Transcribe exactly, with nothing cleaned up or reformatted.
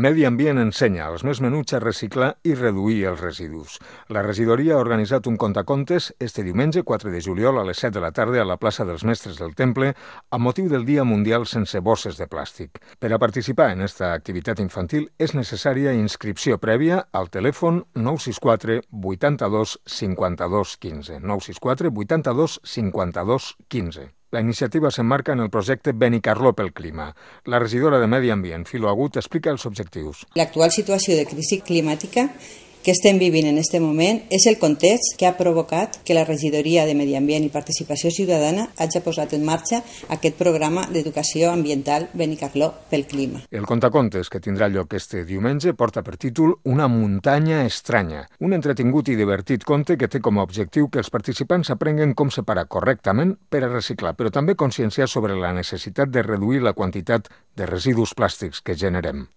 Medi Ambient ensenya als més menuts a reciclar i reduir els residus. La regidoria ha organitzat un contacontes este diumenge, quatre de juliol, a les set de la tarda a la plaça dels Mestres del Temple, amb motiu del Dia Mundial sense bosses de plàstic. Per a participar en esta activitat infantil és necessària inscripció prèvia al telèfon nou sis quatre vuitanta-dos cinquanta-dos quinze. nou sis quatre vuitanta-dos cinquanta-dos quinze. La iniciativa s'emmarca en el projecte Benicarló pel Clima. La regidora de Medi Ambient, Filo Agut, explica els objectius. L'actual situació de crisi climàtica que estem vivint en aquest moment és el context que ha provocat que la regidoria de Medi Ambient i Participació Ciutadana hagi posat en marxa aquest programa d'educació ambiental Benicarló pel Clima. El contacontes, que tindrà lloc este diumenge, porta per títol Una muntanya estranya, un entretingut i divertit conte que té com a objectiu que els participants aprenguen com separar correctament per a reciclar, però també conscienciar sobre la necessitat de reduir la quantitat de residus plàstics que generem.